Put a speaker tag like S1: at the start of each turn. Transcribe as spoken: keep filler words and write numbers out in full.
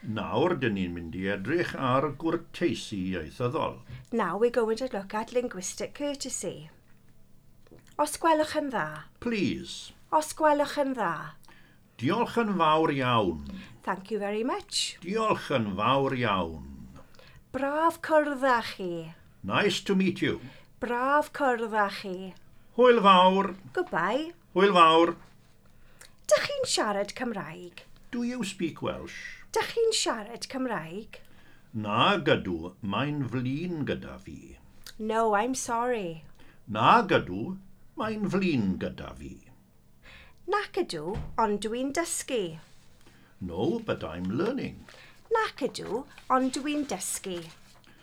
S1: Nawr, dyn ni'n mynd i edrych ar gwrteisi ieithyddol.
S2: Now we're going to look at linguistic courtesy. Os gwelwch yn dda.
S1: Please.
S2: Os gwelwch yn dda.
S1: Diolch yn fawr iawn.
S2: Thank you very much.
S1: Diolch yn fawr iawn.
S2: Braf cwrdd â chi.
S1: Nice to meet you.
S2: Braf cwrdd â chi.
S1: Hwyl fawr.
S2: Goodbye.
S1: Hwyl fawr.
S2: Dych chi'n siarad Cymraeg?
S1: Do you speak Welsh?
S2: Dych chi'n siarad Cymraeg?
S1: Nag ydw, mae'n flin gyda fi.
S2: No, I'm sorry.
S1: Nag ydw, mae'n flin gyda fi.
S2: Nac ydw, ond dwi'n dysgu.
S1: No, but I'm learning.
S2: Nac ydw, ond dwi'n dysgu.